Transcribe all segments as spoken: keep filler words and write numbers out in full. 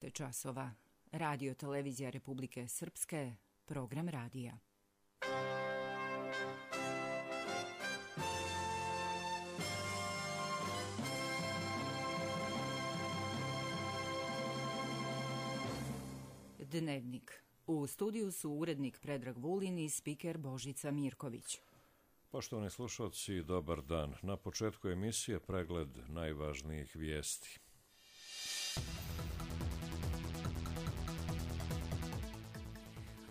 časova. Radio televizija Republike Srpske, program radija. Dnevnik. U studiju su urednik Predrag Vulin i spiker Božica Mirković. Poštovani slušalci, dobar dan. Na početku emisije pregled najvažnijih vijesti.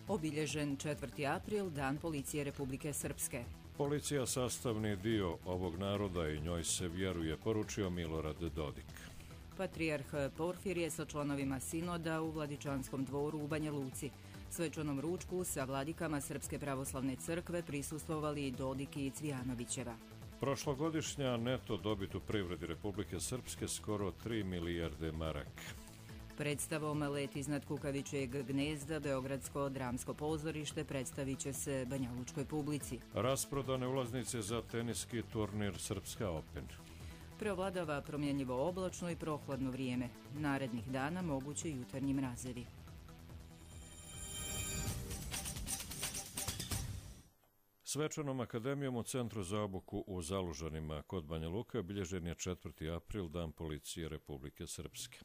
Obilježen četvrti april, Dan policije Republike Srpske. Policija sastavni dio ovog naroda i njoj se vjeruje, poručio Milorad Dodik. Patrijarh Porfirije sa članovima sinoda u Vladičanskom dvoru u Banja Luci. Svečanom ručku sa vladikama Srpske pravoslavne crkve prisustvovali i Dodik i Cvijanovićeva. Prošlogodišnja neto dobit u privredi Republike Srpske skoro tri milijarde maraka. Predstavom Let iznad kukavičjeg gnezda Beogradsko dramsko pozorište predstavit će se banjalučkoj publici. Rasprodane ulaznice za teniski turnir Srpska Open. Preovladava promjenjivo oblačno i prohladno vrijeme. Narednih dana moguće jutarnji mrazevi. Svečanom akademijom u Centru za obuku u Zalužanima kod Banja Luke obilježen je četvrti april, Dan policije Republike Srpske.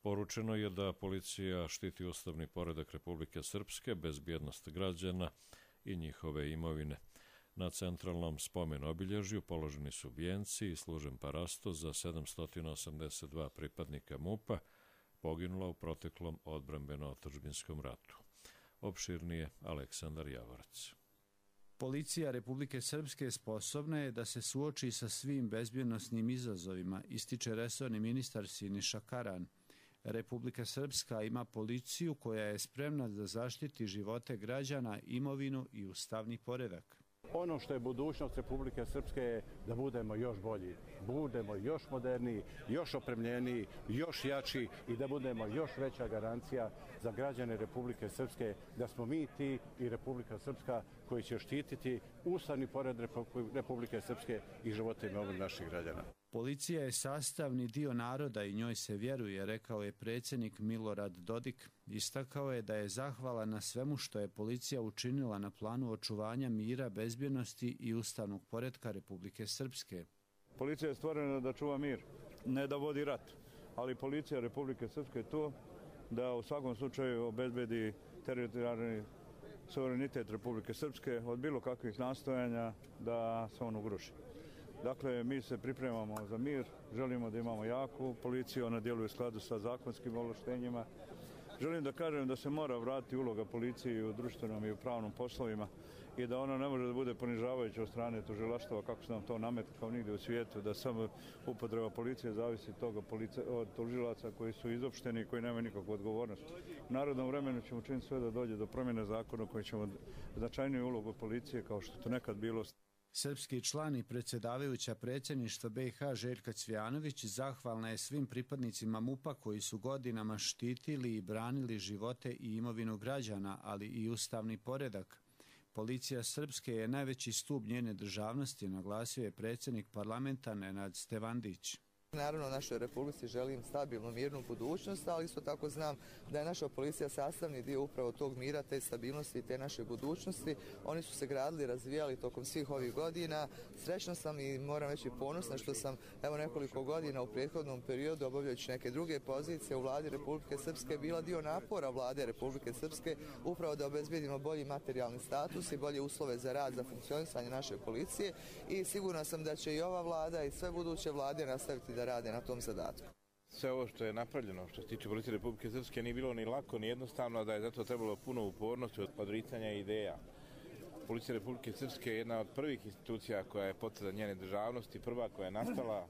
Poručeno je da policija štiti ustavni poredak Republike Srpske, bezbjednost građana i njihove imovine. Na centralnom spomen obilježju položeni su vijenci i služen parasto za sedamsto osamdeset dva pripadnika MUP-a poginula u proteklom odbrambeno-otadžbinskom ratu. Opširnije Aleksandar Javorac. Policija Republike Srpske sposobna je da se suoči sa svim bezbjednosnim izazovima, ističe resorni ministar Siniša Karan. Republika Srpska ima policiju koja je spremna da zaštiti živote građana, imovinu i ustavni poredak. Ono što je budućnost Republike Srpske je da budemo još bolji, budemo još moderniji, još opremljeniji, još jači i da budemo još veća garancija za građane Republike Srpske da smo mi ti i Republika Srpska koji će štititi ustavni poredak Republike Srpske i živote i imovinu naših građana. Policija je sastavni dio naroda i njoj se vjeruje, rekao je predsjednik Milorad Dodik. Istakao je da je zahvalan na svemu što je policija učinila na planu očuvanja mira, bezbjednosti i ustavnog poretka Republike Srpske. Policija je stvorena da čuva mir, ne da vodi rat, ali policija Republike Srpske je tu da u svakom slučaju obezbedi teritorijalni suverenitet Republike Srpske od bilo kakvih nastojanja da se on ugroši. Dakle, mi se pripremamo za mir, želimo da imamo jaku policiju, ona djeluje u skladu sa zakonskim ovlaštenjima. Želim da kažem da se mora vratiti uloga policije u društvenom i u pravnom poslovima i da ona ne može da bude ponižavajuća od strane tužilaštva kako se nam to nametno kao nigdje u svijetu, da samo upotreba policije zavisi toga police, od tužilaca koji su izopšteni i koji nemaju nikakvu odgovornost. U narodnom vremenu ćemo činiti sve da dođe do promjene zakona koji ćemo značajniju ulogu policije kao što to nekad bilo. Srpski član i predsjedavajuća predsjedništva B i H Željka Cvijanović zahvalna je svim pripadnicima MUP-a koji su godinama štitili i branili živote i imovinu građana, ali i ustavni poredak. Policija Srpske je najveći stup njene državnosti, naglasio je predsjednik parlamenta Nenad Stevandić. Naravno, našoj Republici želim stabilnu, mirnu budućnost, ali isto tako znam da je naša policija sastavni dio upravo tog mira, te stabilnosti i te naše budućnosti. Oni su se gradili, razvijali tokom svih ovih godina. Srećna sam i moram reći ponosna što sam evo nekoliko godina u prethodnom periodu obavljajući neke druge pozicije u vladi Republike Srpske bila dio napora vlade Republike Srpske upravo da obezbedimo bolji materijalni status i bolje uslove za rad, za funkcionisanje naše policije i sigurna sam da će i ova vlada i sve buduće vlade nastaviti da rade na tom zadatku. Sve ovo što je napravljeno, što se tiče policije Republike Srpske, nije bilo ni lako, ni jednostavno, da je zato trebalo puno upornosti od odricanja ideja. Policija Republike Srpske je jedna od prvih institucija koja je potvrda njene državnosti, prva koja je nastala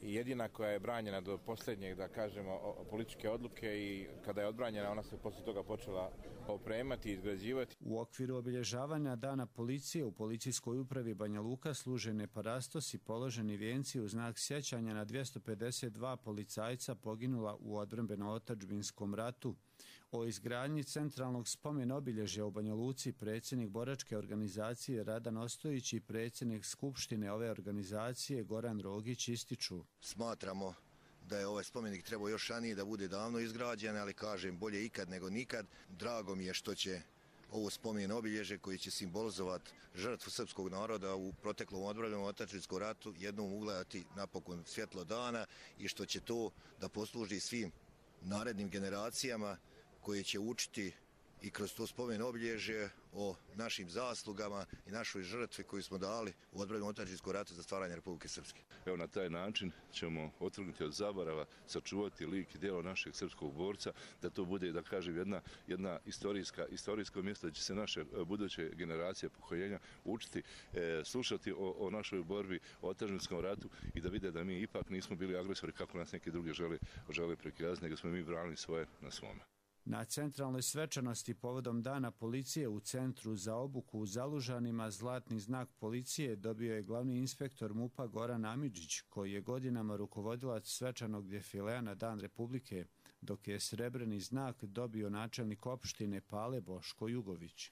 i jedina koja je branjena do posljednjeg, da kažemo, političke odluke i kada je odbranjena, ona se poslije toga počela opremati i izgrađivati. U okviru obilježavanja Dana policije u policijskoj upravi Banja Luka služene parastos i položeni vijenci u znak sjećanja na dvjesto pedeset dva policajca poginula u odbrambeno-otadžbinskom ratu. O izgradnji centralnog spomen obilježja u Banja Luci predsjednik boračke organizacije Radan Ostojić i predsjednik skupštine ove organizacije Goran Rogić ističu. Smatramo da je ovaj spomenik trebao još ranije da bude davno izgrađen, ali kažem bolje ikad nego nikad. Drago mi je što će ovo spomen obilježje koji će simbolizovati žrtvu srpskog naroda u proteklom odbrambenom otadžbinskom ratu jednom ugledati napokon svjetlo dana i što će to da posluži svim narednim generacijama koje će učiti i kroz to spomen obilježje o našim zaslugama i našoj žrtvi koju smo dali u odbrambenom otadžbinskom ratu za stvaranje Republike Srpske. Evo, na taj način ćemo otrgnuti od zaborava, sačuvati lik i djelo našeg srpskog borca, da to bude, da kažem, jedna, jedna istorijska, istorijsko mjesto, da će se naše buduće generacije pokoljenja učiti, e, slušati o, o našoj borbi, o otadžbinskom ratu i da vide da mi ipak nismo bili agresori kako nas neki drugi žele, žele prikazati, nego smo mi branili svoje na svome. Na centralnoj svečanosti povodom Dana policije u Centru za obuku u Zalužanima zlatni znak policije dobio je glavni inspektor MUP-a Goran Amidžić, koji je godinama rukovodilac svečanog defilea na Dan Republike, dok je srebrni znak dobio načelnik opštine Pale Boško Jugović.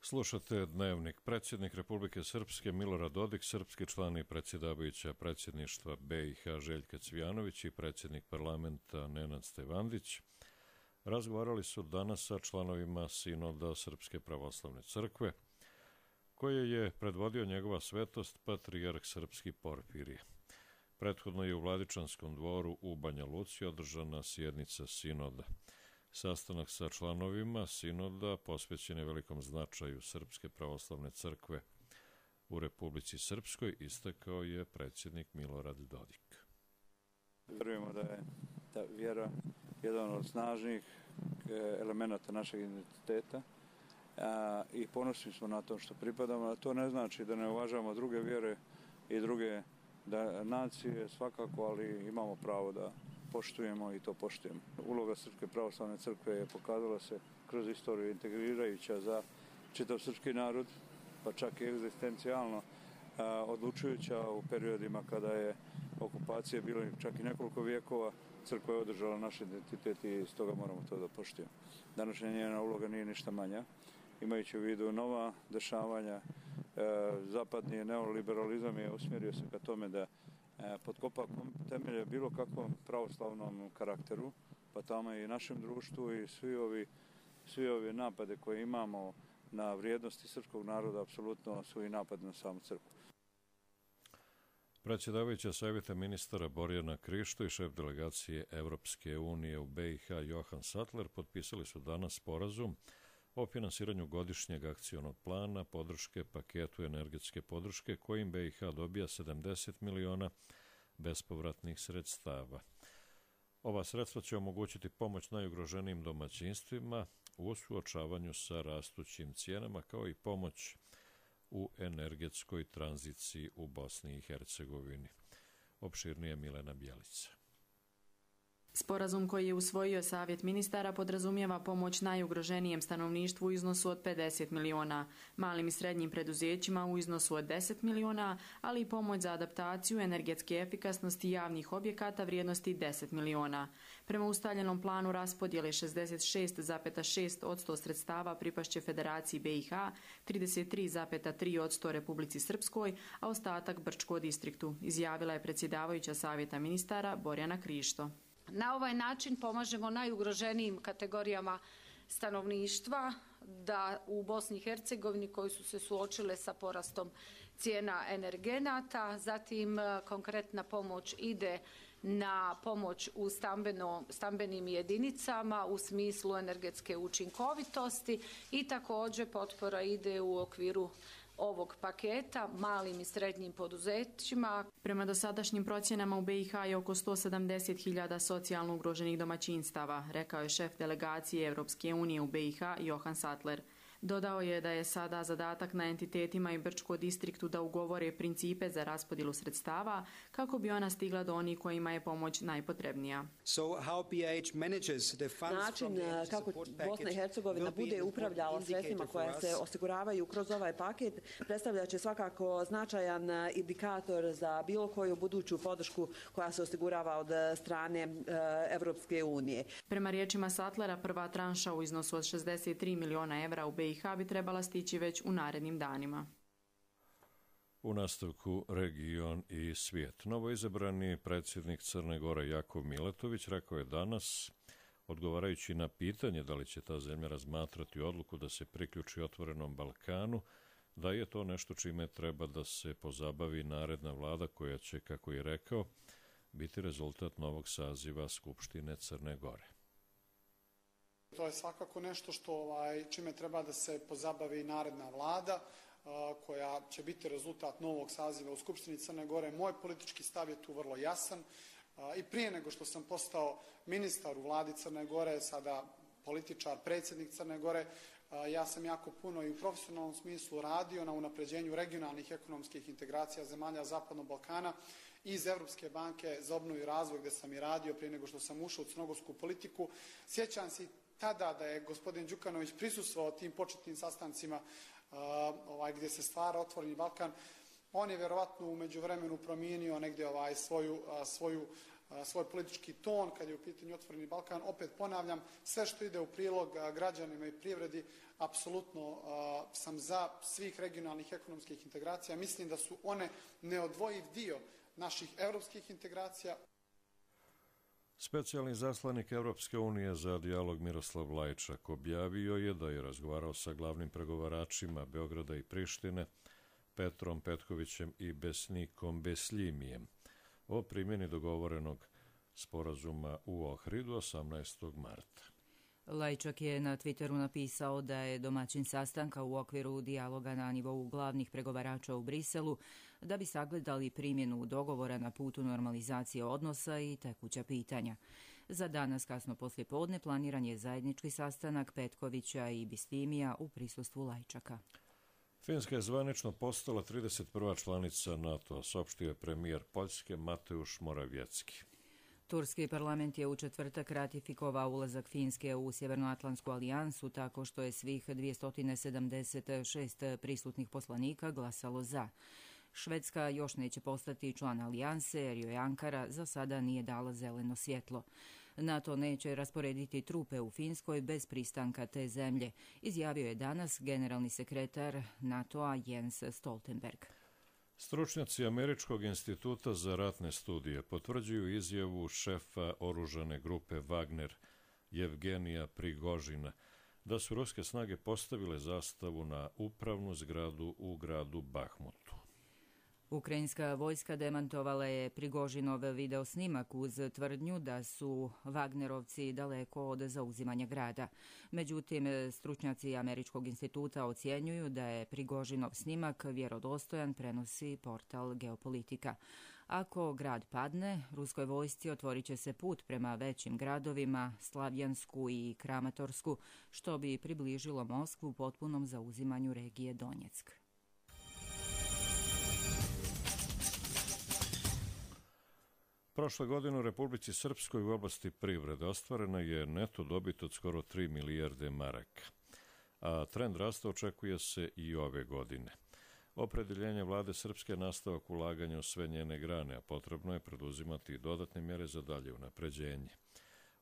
Slušate Dnevnik. Predsjednik Republike Srpske Milorad Dodik, srpski član i predsjedavajuća predsjedništva B i H Željka Cvijanović i predsjednik parlamenta Nenad Stevandić razgovarali su danas sa članovima Sinoda Srpske pravoslavne crkve, koje je predvodio njegova svetost patrijarh srpski Porfirije. Prethodno je u Vladičanskom dvoru u Banja Luci održana sjednica Sinoda. Sastanak sa članovima Sinoda posvećen je velikom značaju Srpske pravoslavne crkve u Republici Srpskoj, istakao je predsjednik Milorad Dodik. Vjerujemo da je ta vjera jedan od snažnih elemenata našeg identiteta a, i ponosni smo na to što pripadamo, a to ne znači da ne uvažavamo druge vjere i druge da, nacije svakako, ali imamo pravo da poštujemo i to poštujemo. Uloga Srpske pravoslavne crkve je pokazala se kroz istoriju integrirajuća za čitav srpski narod, pa čak i egzistencijalno a, odlučujuća u periodima kada je okupacija bila čak i nekoliko vijekova. Crkva je održala naš identitet i stoga moramo to da poštujemo. Današnja njena uloga nije ništa manja. Imajući u vidu nova dešavanja, e, zapadni neoliberalizam je usmjerio se ka tome da e, potkopa temelje bilo kakvom pravoslavnom karakteru, pa tamo i našem društvu i svi ovi, svi ovi napade koje imamo na vrijednosti srpskog naroda apsolutno su i napad na samu crkvu. Predsjedavajuća savjeta ministara Borjana Krišto i šef delegacije Evropske unije u B i H Johan Sattler potpisali su danas sporazum o finansiranju godišnjeg akcionog plana podrške paketu energetske podrške kojim B i H dobija sedamdeset miliona bespovratnih sredstava. Ova sredstva će omogućiti pomoć najugroženijim domaćinstvima u suočavanju sa rastućim cijenama kao i pomoć u energetskoj tranziciji u Bosni i Hercegovini. Opširnije Milena Bjelica. Sporazum koji je usvojio Savjet ministara podrazumijeva pomoć najugroženijem stanovništvu u iznosu od pedeset miliona, malim i srednjim preduzećima u iznosu od deset miliona, ali i pomoć za adaptaciju energetske efikasnosti javnih objekata vrijednosti deset miliona. Prema ustaljenom planu raspodjele šezdeset šest zarez šest posto sredstava pripašće Federaciji B i H, trideset tri zarez tri posto Republici Srpskoj, a ostatak Brčko distriktu, izjavila je predsjedavajuća Savjeta ministara Borjana Krišto. Na ovaj način pomažemo najugroženijim kategorijama stanovništva da u Bosni i Hercegovini koji su se suočile sa porastom cijena energenata, zatim konkretna pomoć ide na pomoć u stambeno, stambenim jedinicama u smislu energetske učinkovitosti i također potpora ide u okviru ovog paketa malim i srednjim poduzećima. Prema dosadašnjim procjenama u B i H je oko sto sedamdeset hiljada socijalno ugroženih domaćinstava, rekao je šef delegacije Evropske unije u B i H Johan Sattler. Dodao je da je sada zadatak na entitetima i Brčko distriktu da ugovore principe za raspodjelu sredstava kako bi ona stigla do onih kojima je pomoć najpotrebnija. Način kako Bosna i Hercegovina bude upravljala sredstvima koja se osiguravaju kroz ovaj paket predstavljat će svakako značajan indikator za bilo koju buduću podršku koja se osigurava od strane Evropske unije. Prema riječima Sattlera, prva tranša u iznosu od šezdeset tri miliona evra u B i H bi trebala stići već u narednim danima. U nastavku region i svijet. Novoizabrani predsjednik Crne Gore Jakov Milatović rekao je danas, odgovarajući na pitanje da li će ta zemlja razmatrati odluku da se priključi Otvorenom Balkanu, da je to nešto čime treba da se pozabavi naredna vlada koja će, kako je rekao, biti rezultat novog saziva Skupštine Crne Gore. To je svakako nešto što ovaj, čime treba da se pozabavi naredna vlada koja će biti rezultat novog saziva u Skupštini Crne Gore. Moj politički stav je tu vrlo jasan i prije nego što sam postao ministar u vladi Crne Gore, sada političar, predsjednik Crne Gore, ja sam jako puno i u profesionalnom smislu radio na unapređenju regionalnih ekonomskih integracija zemalja Zapadnog Balkana iz Evropske banke za obnovu i razvoj gdje sam i radio prije nego što sam ušao u crnogorsku politiku. Sjećam se tada da je gospodin Đukanović prisustvovao tim početnim sastancima Uh, ovaj, gdje se stvara Otvoreni Balkan. On je vjerovatno u međuvremenu promijenio negdje ovaj, svoju, uh, svoju, uh, svoj politički ton kad je u pitanju Otvoreni Balkan. Opet ponavljam, sve što ide u prilog uh, građanima i privredi, apsolutno uh, sam za svih regionalnih ekonomskih integracija. Mislim da su one neodvojiv dio naših evropskih integracija. Specijalni zaslanik Evropske unije za dijalog Miroslav Lajčak objavio je da je razgovarao sa glavnim pregovaračima Beograda i Prištine, Petrom Petkovićem i Besnikom Beslimijem, o primjeni dogovorenog sporazuma u Ohridu osamnaestog marta. Lajčak je na Twitteru napisao da je domaćin sastanka u okviru dijaloga na nivou glavnih pregovarača u Briselu da bi sagledali primjenu dogovora na putu normalizacije odnosa i tekuća pitanja. Za danas kasno poslije podne planiran je zajednički sastanak Petkovića i Bistimija u prisustvu Lajčaka. Finska je zvanično postala trideset prva članica NATO-a, saopštio je premijer Poljske Mateusz Morawiecki. Turski parlament je u četvrtak ratifikovao ulazak Finske u Sjevernoatlantsku alijansu tako što je svih dvjesto sedamdeset šest prisutnih poslanika glasalo za. Švedska još neće postati član alijanse jer joj Ankara za sada nije dala zeleno svjetlo. NATO neće rasporediti trupe u Finskoj bez pristanka te zemlje, izjavio je danas generalni sekretar NATO-a Jens Stoltenberg. Stručnjaci Američkog instituta za ratne studije potvrđuju izjavu šefa oružane grupe Wagner, Jevgenija Prigožina, da su ruske snage postavile zastavu na upravnu zgradu u gradu Bahmutu. Ukrajinska vojska demantovala je Prigožinov video snimak uz tvrdnju da su Wagnerovci daleko od zauzimanja grada. Međutim, stručnjaci Američkog instituta ocjenjuju da je Prigožinov snimak vjerodostojan, prenosi portal Geopolitika. Ako grad padne, ruskoj vojsci otvorit će se put prema većim gradovima, Slavjansku i Kramatorsku, što bi približilo Moskvu potpunom zauzimanju regije Donjeck. Prošle godine u Republici Srpskoj u oblasti privrede ostvarena je neto dobit od skoro tri milijarde maraka, a trend rasta očekuje se i ove godine. Opredeljenje vlade Srpske je nastavak ulaganja u sve njene grane, a potrebno je preduzimati i dodatne mjere za dalje unapređenje.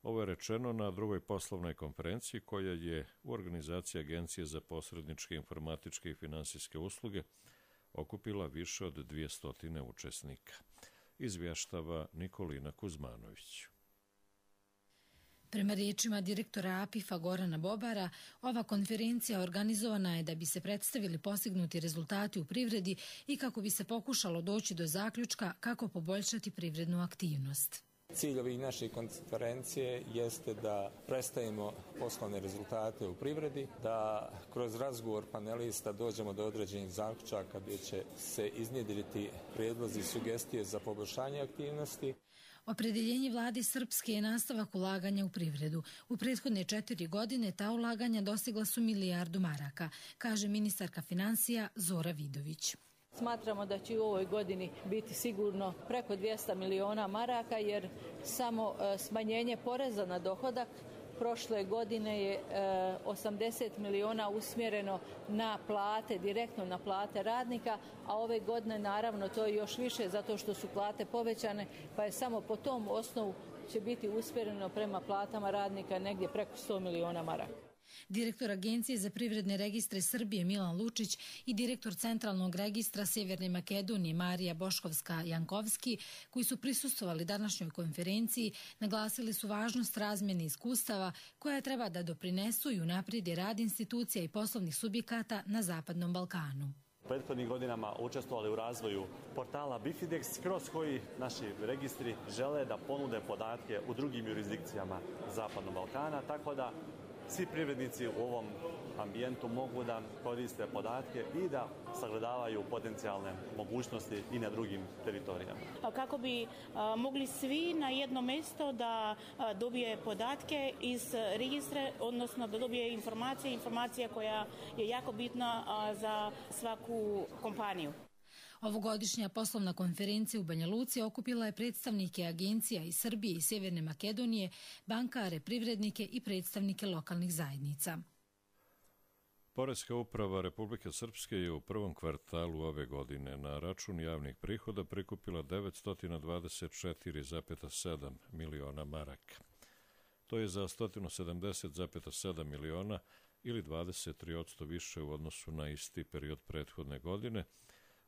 Ovo je rečeno na drugoj poslovnoj konferenciji koja je u organizaciji Agencije za posredničke informatičke i finansijske usluge okupila više od dvjesto učesnika. Izvještava Nikolina Kuzmanović. Prema riječima direktora A P I F-a Gorana Bobara, ova konferencija organizovana je da bi se predstavili postignuti rezultati u privredi i kako bi se pokušalo doći do zaključka kako poboljšati privrednu aktivnost. Cilj ovih naših konferencije jeste da predstavimo poslovne rezultate u privredi, da kroz razgovor panelista dođemo do određenih zaključaka gdje će se iznjedriti prijedlozi i sugestije za poboljšanje aktivnosti. Opredeljenje vlade Srpske je nastavak ulaganja u privredu. U prethodne četiri godine ta ulaganja dostigla su milijardu maraka, kaže ministarka financija Zora Vidović. Smatramo da će u ovoj godini biti sigurno preko dvjesto miliona maraka jer samo smanjenje poreza na dohodak prošle godine je osamdeset miliona usmjereno na plate, direktno na plate radnika, a ove godine naravno to je još više zato što su plate povećane, pa je samo po tom osnovu će biti usmjereno prema platama radnika negdje preko sto miliona maraka. Direktor Agencije za privredne registre Srbije Milan Lučić i direktor Centralnog registra Sjeverne Makedonije Marija Boškovska-Jankovski, koji su prisustvovali današnjoj konferenciji, naglasili su važnost razmjene iskustava koja treba da doprinesu i unaprijedi rad institucija i poslovnih subjekata na Zapadnom Balkanu. Prethodnih godinama učestvovali u razvoju portala Bifidex, kroz koji naši registri žele da ponude podatke u drugim jurisdikcijama Zapadnog Balkana, tako da svi privrednici u ovom ambijentu mogu da koriste podatke i da sagledavaju potencijalne mogućnosti i na drugim teritorijama. Kako bi a, mogli svi na jedno mjesto da a, dobije podatke iz registra, odnosno da dobije informacije, informacija koja je jako bitna a, za svaku kompaniju. Ovogodišnja poslovna konferencija u Banja Luci okupila je predstavnike agencija iz Srbije i Sjeverne Makedonije, bankare, privrednike i predstavnike lokalnih zajednica. Poreska uprava Republike Srpske je u prvom kvartalu ove godine na račun javnih prihoda prikupila devetsto dvadeset četiri zarez sedam miliona maraka. To je za sto sedamdeset zarez sedam miliona ili dvadeset tri posto više u odnosu na isti period prethodne godine,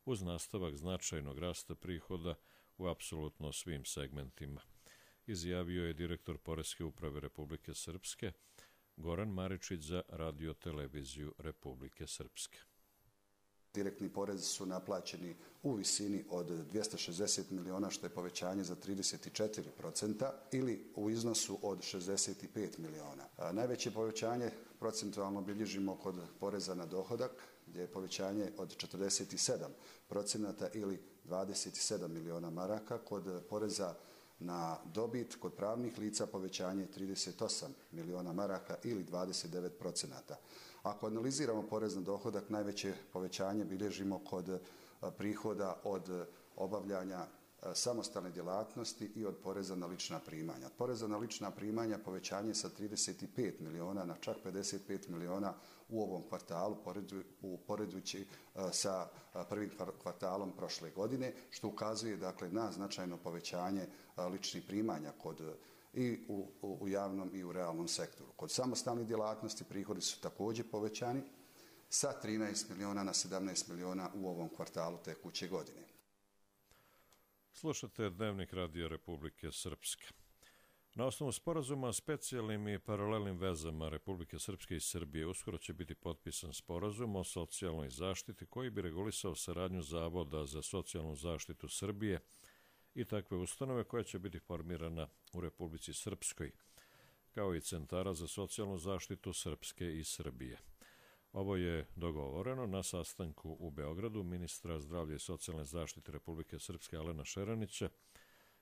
uz nastavak značajnog rasta prihoda u apsolutno svim segmentima, izjavio je direktor Poreske uprave Republike Srpske Goran Maričić za Radio-televiziju Republike Srpske. Direktni porezi su naplaćeni u visini od dvjesto šezdeset miliona, što je povećanje za trideset četiri posto ili u iznosu od šezdeset pet miliona. A najveće povećanje procentualno bilježimo kod poreza na dohodak, gdje je povećanje od četrdeset sedam procenata ili dvadeset sedam miliona maraka, kod poreza na dobit kod pravnih lica povećanje trideset osam miliona maraka ili dvadeset devet procenata. Ako analiziramo porez na dohodak, najveće povećanje bilježimo kod prihoda od obavljanja samostalne djelatnosti i od poreza na lična primanja. Od poreza na lična primanja povećanje sa trideset pet miliona na čak pedeset pet miliona u ovom kvartalu, uporedujući sa prvim kvartalom prošle godine, što ukazuje dakle na značajno povećanje ličnih primanja kod i u, u javnom i u realnom sektoru. Kod samostalnih djelatnosti prihodi su također povećani sa trinaest miliona na sedamnaest miliona u ovom kvartalu tekuće godine. Slušate Dnevnik Radija Republike Srpske. Na osnovu sporazuma o specijalnim i paralelnim vezama Republike Srpske i Srbije uskoro će biti potpisan sporazum o socijalnoj zaštiti koji bi regulisao saradnju Zavoda za socijalnu zaštitu Srbije i takve ustanove koja će biti formirana u Republici Srpskoj, kao i centara za socijalnu zaštitu Srpske i Srbije. Ovo je dogovoreno na sastanku u Beogradu ministra zdravlja i socijalne zaštite Republike Srpske Alena Šeranića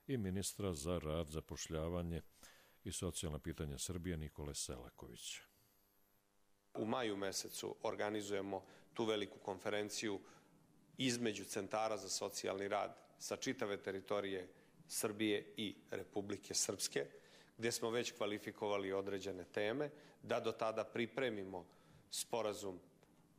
i ministra za rad, zapošljavanje i socijalna pitanja Srbije Nikole Selakovića. U maju mesecu organizujemo tu veliku konferenciju između centara za socijalni rad sa čitave teritorije Srbije i Republike Srpske, gdje smo već kvalifikovali određene teme, da do tada pripremimo sporazum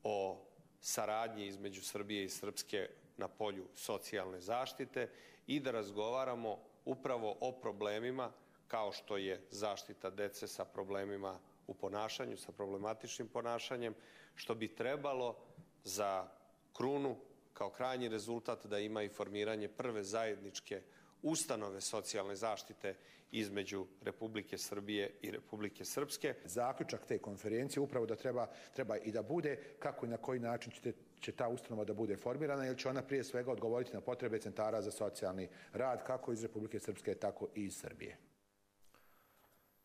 o saradnji između Srbije i Srpske na polju socijalne zaštite i da razgovaramo upravo o problemima kao što je zaštita dece sa problemima u ponašanju, sa problematičnim ponašanjem, što bi trebalo za krunu kao krajnji rezultat da ima i formiranje prve zajedničke ustanove socijalne zaštite između Republike Srbije i Republike Srpske. Zaključak te konferencije upravo da treba, treba i da bude kako i na koji način će, će ta ustanova da bude formirana, jer će ona prije svega odgovoriti na potrebe centara za socijalni rad kako iz Republike Srpske, tako i iz Srbije.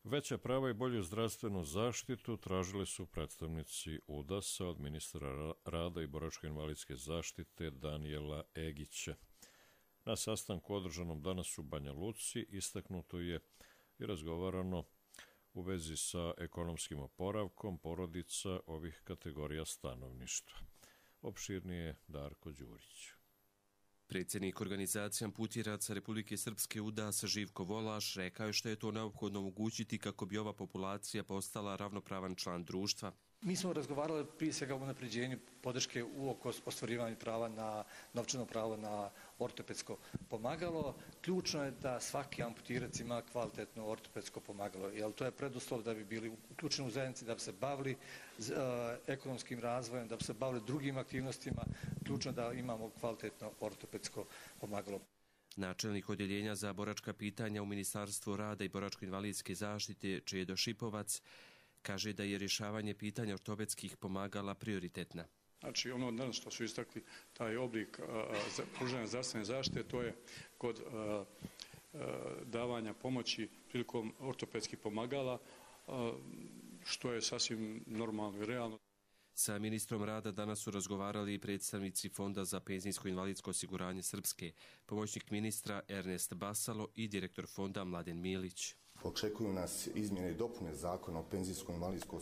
Veća prava i bolju zdravstvenu zaštitu tražili su predstavnici U D A S-a od ministra rada i boračko-invalidske zaštite Danijela Egića. Na sastanku održanom danas u Banja Luci istaknuto je i razgovarano u vezi sa ekonomskim oporavkom porodica ovih kategorija stanovništva. Opširnije Darko Đurić. Predsjednik organizacije amputiraca Republike Srpske U D A S Živko Volaš rekao je što je to neophodno omogućiti kako bi ova populacija postala ravnopravan član društva. Mi smo razgovarali prije svega o unapređenju podrške u oko ostvarivanja prava na novčano pravo na ortopedsko pomagalo. Ključno je da svaki amputirac ima kvalitetno ortopedsko pomagalo, jer to je preduslov da bi bili uključeni u zajednici, da bi se bavili uh, ekonomskim razvojem, da bi se bavili drugim aktivnostima. Ključno je da imamo kvalitetno ortopedsko pomagalo. Načelnik odjeljenja za boračka pitanja u Ministarstvu rada i boračko-invalidske zaštite Čedo Šipovac kaže da je rješavanje pitanja ortopedskih pomagala prioritetna. Znači ono danas što su istakli taj oblik pružanja zdravstvene zaštite, to je kod a, a, davanja pomoći prilikom ortopedskih pomagala, a, što je sasvim normalno i realno. Sa ministrom rada danas su razgovarali i predstavnici Fonda za penzijsko-invalidsko osiguranje Srpske, pomoćnik ministra Ernest Basalo i direktor fonda Mladen Milić. Očekuju nas izmjene i dopune zakona o penzijskom invalidskom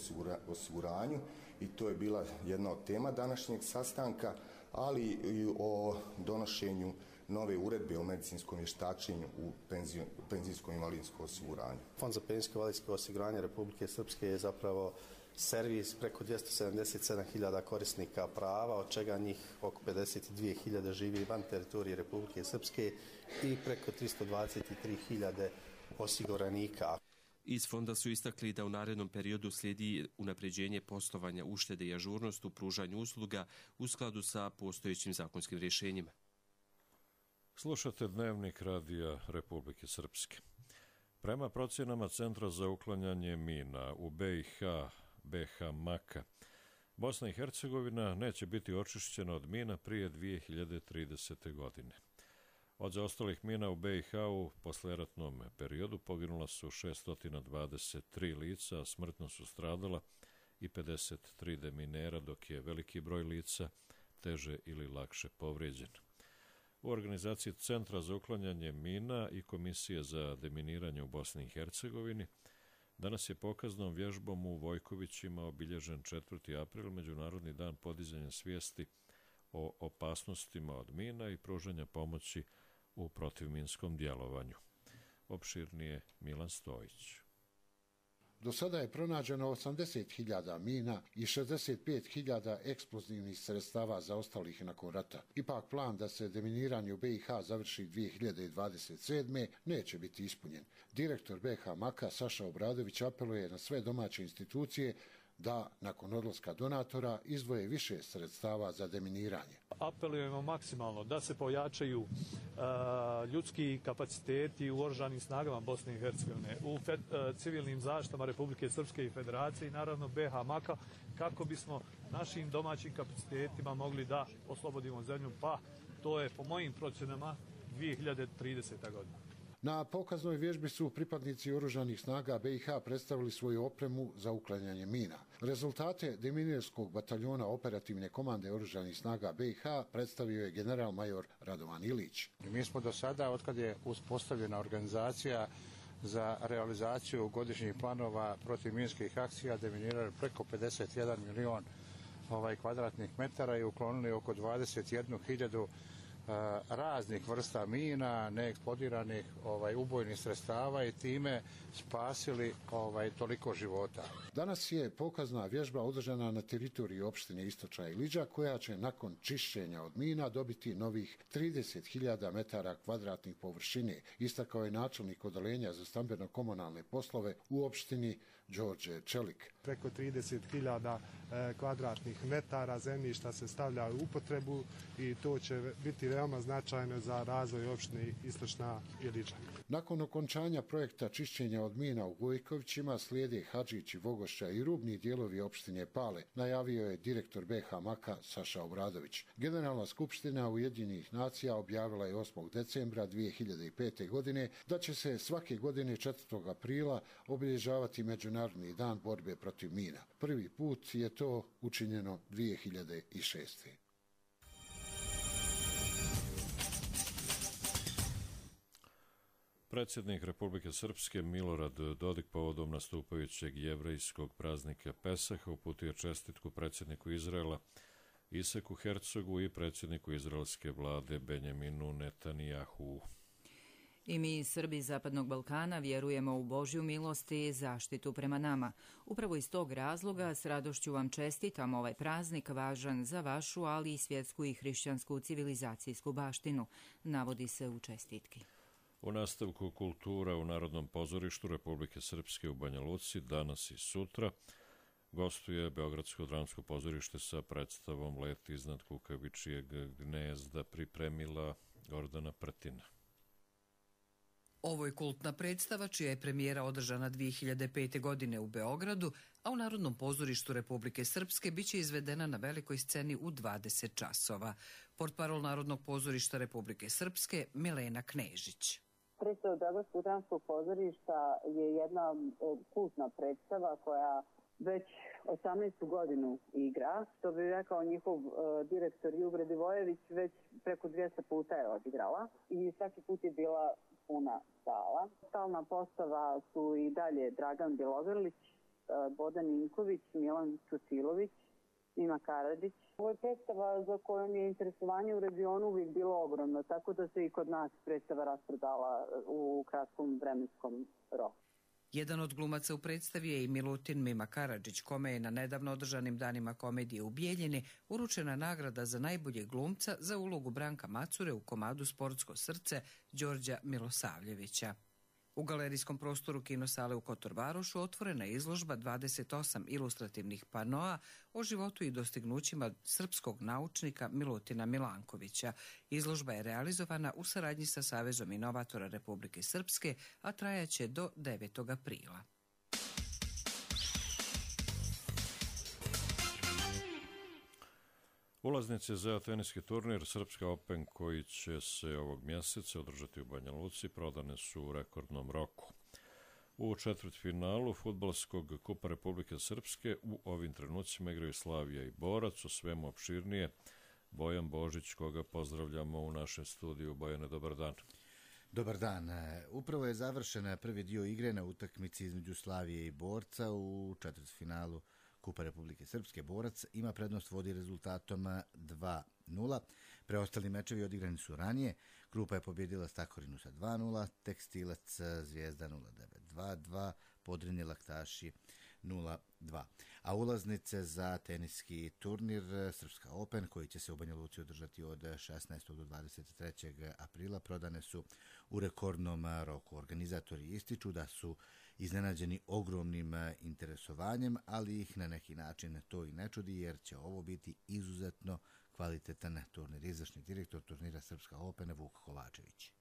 osiguranju i to je bila jedna od tema današnjeg sastanka, ali i o donošenju nove uredbe o medicinskom vještačenju u penzijskom invalidskom osiguranju. Fond za penzijsko invalidsko osiguranje Republike Srpske je zapravo servis preko dvjesto sedamdeset sedam hiljada korisnika prava, od čega njih oko pedeset dvije hiljade živi van teritorije Republike Srpske i preko tristo dvadeset tri hiljade osiguranika. Iz fonda su istakli da u narednom periodu slijedi unapređenje poslovanja, uštede i ažurnost u pružanju usluga u skladu sa postojećim zakonskim rješenjima. Slušate Dnevnik Radija Republike Srpske. Prema procjenama Centra za uklanjanje mina u B i H, B H Maka, Bosna i Hercegovina neće biti očišćena od mina prije dvije hiljade tridesete. godine. Od zaostalih mina u B i H u posleratnom periodu poginula su šesto dvadeset tri lica, a smrtno su stradala i pedeset tri deminera, dok je veliki broj lica teže ili lakše povrijeđen. U organizaciji Centra za uklanjanje mina i Komisije za deminiranje u Bosni i Hercegovini danas je pokaznom vježbom u Vojkovićima obilježen četvrti april, Međunarodni dan podizanja svijesti o opasnostima od mina i pružanja pomoći u protivminskom djelovanju. Opširnije Milan Stojić. Do sada je pronađeno osamdeset hiljada mina i šezdeset pet hiljada eksplozivnih sredstava zaostalih nakon rata. Ipak plan da se deminiranje u B i H završi dvije hiljade dvadeset sedme. neće biti ispunjen. Direktor B H Maka Saša Obradović apeluje na sve domaće institucije da, nakon odlaska donatora, izdvoje više sredstava za deminiranje. Apelujemo maksimalno da se pojačaju uh, ljudski kapaciteti u oružanim snagama Bosne i Hercegovine, u fed, uh, civilnim zaštitama Republike Srpske i Federacije i naravno B H Maka, kako bismo našim domaćim kapacitetima mogli da oslobodimo zemlju, pa to je po mojim procjenama dvije hiljade tridesete. godina. Na pokaznoj vježbi su pripadnici oružanih snaga B i H predstavili svoju opremu za uklanjanje mina. Rezultate deminirskog bataljona operativne komande oružanih snaga B i H predstavio je general major Radovan Ilić. Mi smo do sada, otkad je uspostavljena organizacija za realizaciju godišnjih planova protivminskih akcija, deminirali preko pedeset jedan milion ovaj, kvadratnih metara i uklonili oko dvadeset jednu hiljadu raznih vrsta mina, neeksplodiranih ovaj, ubojnih sredstava i time spasili ovaj, toliko života. Danas je pokazna vježba održana na teritoriji opštine Istočna Iliđa, koja će nakon čišćenja od mina dobiti novih trideset hiljada metara kvadratnih površine, istakao je načelnik odeljenja za stambeno-komunalne poslove u opštini Đorđe Čelik. Preko trideset hiljada kvadratnih metara zemljišta se stavlja u upotrebu i to će biti veoma značajno za razvoj opštine Istočna Iliđa. Nakon okončanja projekta čišćenja od mina u Vojkovićima slijede Hadžić i Vogošća i rubni dijelovi opštine Pale, najavio je direktor B H Maka Saša Obradović. Generalna skupština Ujedinjenih nacija objavila je osmog decembra dvije hiljade pete. godine da će se svake godine četvrtog aprila obilježavati Međunarodni dan borbe protiv mina. Prvi put je to učinjeno dvije hiljade šeste. Predsjednik Republike Srpske Milorad Dodik povodom nastupajućeg jevrejskog praznika Pesaha uputio čestitku predsjedniku Izraela Isaku Hercogu i predsjedniku izraelske vlade Benjaminu Netanjahu. I mi, Srbi Zapadnog Balkana, vjerujemo u Božju milost i zaštitu prema nama. Upravo iz tog razloga s radošću vam čestitam ovaj praznik važan za vašu, ali i svjetsku i hrišćansku civilizacijsku baštinu, navodi se u čestitki. U nastavku kultura u Narodnom pozorištu Republike Srpske u Banja Luci danas i sutra gostuje Beogradsko dramsko pozorište sa predstavom Let iznad kukavičijeg gnezda, pripremila Gordana Prtina. Ovo je kultna predstava čija je premijera održana dvije hiljade pete. godine u Beogradu, a u Narodnom pozorištu Republike Srpske biće izvedena na velikoj sceni u dvadeset časova. Portparol Narodnog pozorišta Republike Srpske Milena Knežić. Predstava Beogradskog dramskog pozorišta je jedna kultna predstava koja već osamnaestu godinu igra, što bi rekao njihov uh, direktor Jure Divojević, već preko dvjesto puta je odigrala i svaki put je bila puna sala. Stalna postava su i dalje Dragan Bjelogrlić, uh, Bodan Ninković, Milan Čutilović, Mima Karadžić. Ovo je predstava za kojom je interesovanje u regionu uvijek bilo ogromno, tako da se i kod nas predstava rasprodala u kratkom vremenskom roku. Jedan od glumaca u predstavi je i Milutin Mima Karadžić, kome je na nedavno održanim danima komedije u Bijeljini uručena nagrada za najboljeg glumca za ulogu Branka Macure u komadu Sportsko srce Đorđa Milosavljevića. U galerijskom prostoru kinosale u Kotorvarošu otvorena je izložba dvadeset osam ilustrativnih panoa o životu i dostignućima srpskog naučnika Milutina Milankovića. Izložba je realizovana u saradnji sa Savezom inovatora Republike Srpske, a trajaće do devetog aprila. Ulaznice za teniski turnir Srpska Open koji će se ovog mjeseca održati u Banja Luci prodane su u rekordnom roku. U četvrtfinalu fudbalskog kupa Republike Srpske u ovim trenucima igraju Slavija i Borac, o svemu opširnije Bojan Božić, koga pozdravljamo u našem studiju. Bojane, dobar dan. Dobar dan. Upravo je završen prvi dio igre na utakmici između Slavije i Borca u četvrtfinalu Kupa Republike Srpske. Borac ima prednost, vodi rezultatom dva nula. Preostali mečevi odigrani su ranije. Krupa je pobjedila Stakorinu sa dva nula, Tekstilac Zvijezda nula devet dva dva, Podrinje Laktaši nula dva. A ulaznice za teniski turnir Srpska Open, koji će se u Banja Luci održati od šesnaestog do dvadeset trećeg aprila, prodane su u rekordnom roku. Organizatori ističu da su iznenađeni ogromnim interesovanjem, ali ih na neki način to i ne čudi, jer će ovo biti izuzetno kvalitetan turnir. Izvršni direktor turnira Srpska Open Vuk Kovačević.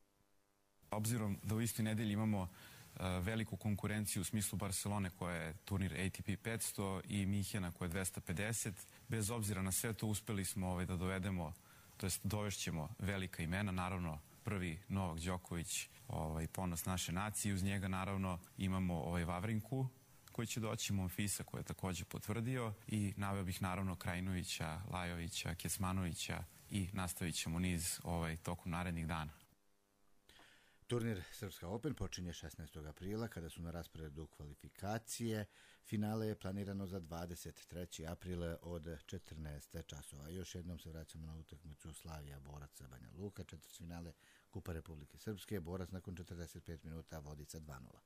Obzirom da u istoj nedelji imamo uh, veliku konkurenciju u smislu Barcelone koja je turnir A T P petsto i Minhena koja je dvesta pedeset, bez obzira na sve to uspeli smo ovaj, da dovedemo, to jest dovešćemo velika imena, naravno prvi Novak Đoković, ovaj, ponos naše nacije, uz njega naravno imamo ovaj Vavrinku koji će doći, Monfisa koji je također potvrdio i naveo bih naravno Krajinovića, Lajovića, Kecmanovića i nastavit ćemo niz ovaj, tokom narednih dana. Turnir Srpska Open počinje šesnaestog aprila kada su na rasporedu kvalifikacije. Finale je planirano za dvadeset treći april od četrnaest časova. Još jednom se vraćamo na utakmicu Slavija Borac Banja Luka, četvrtfinale Kupa Republike Srpske. Borac nakon četrdeset pet minuta vodi sa dva nula.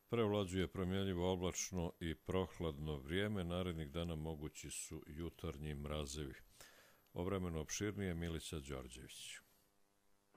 Prevlađuje promjenjivo oblačno i prohladno vrijeme. Narednih dana mogući su jutarnji mrazevi. O vremenu opširnije Milica Đorđević.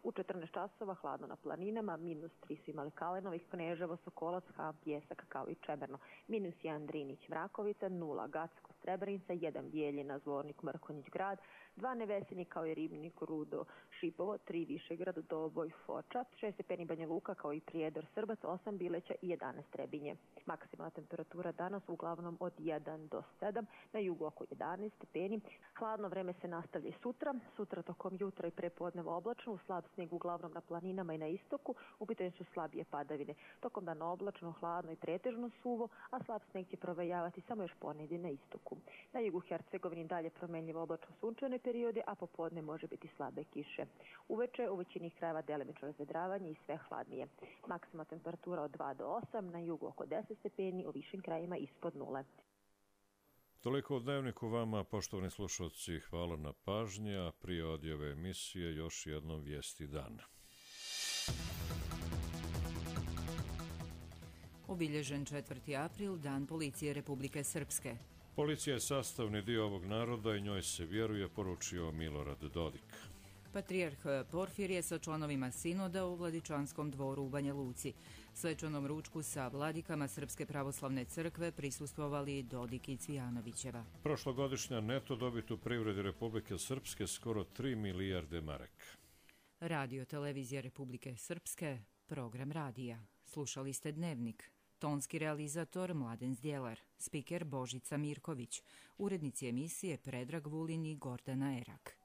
U četrnaest časova hladno na planinama, minus tri su imali Kalenovih, Kneževo, Sokolac, Hab, Bljesak kao i Čemerno, minus jedan Drinić, Mrakovica, nula Gacko, Srebrenica, jedan Bijeljina, Zvornik, Mrkonjić, Grad, dva Nevesini kao i Ribnik, Rudo, Šipovo, tri Višegrad, Doboj, Foča, šest stepeni Banja Luka kao i Prijedor, Srbac, osam Bileća i jedanaest Trebinje. Maksimalna temperatura danas uglavnom od jedan do sedam, na jugu oko jedanaest stepeni. Hladno vreme se nastavlja i sutra, sutra tokom jutra i prepodneva oblačno, slab snijeg uglavnom na planinama i na istoku, u pitanju su slabije padavine. Tokom dana oblačno, hladno i pretežno suvo, a slab snijeg će provejavati samo još ponedje na istoku. Na jugu Hercegovini dalje promenljivo oblačno sunčane periode, a popodne može biti slabe kiše. Uveče u većini krajeva delimično razvedravanje i sve hladnije. Maksimalna temperatura od dva do osam, na jugu oko deset stepeni, u višim krajima ispod nule. Toliko u Dnevniku vama, poštovani slušalci, hvala na pažnji, a prije odjave emisije još jednom vijesti dana. Obilježen četvrti april, Dan policije Republike Srpske. Policija je sastavni dio ovog naroda i njoj se vjeruje, poručio Milorad Dodik. Patrijarh Porfirije sa članovima sinoda u Vladičanskom dvoru u Banja Luci. Svečanom ručku sa vladikama Srpske pravoslavne crkve prisustvovali Dodik i Cvijanovićeva. Prošlogodišnja neto dobit u privredi Republike Srpske skoro tri milijarde maraka. Radio televizija Republike Srpske, program radija. Slušali ste Dnevnik. Tonski realizator Mladen Zdjelar, spiker Božica Mirković, urednici emisije Predrag Vulin i Gordana Erak.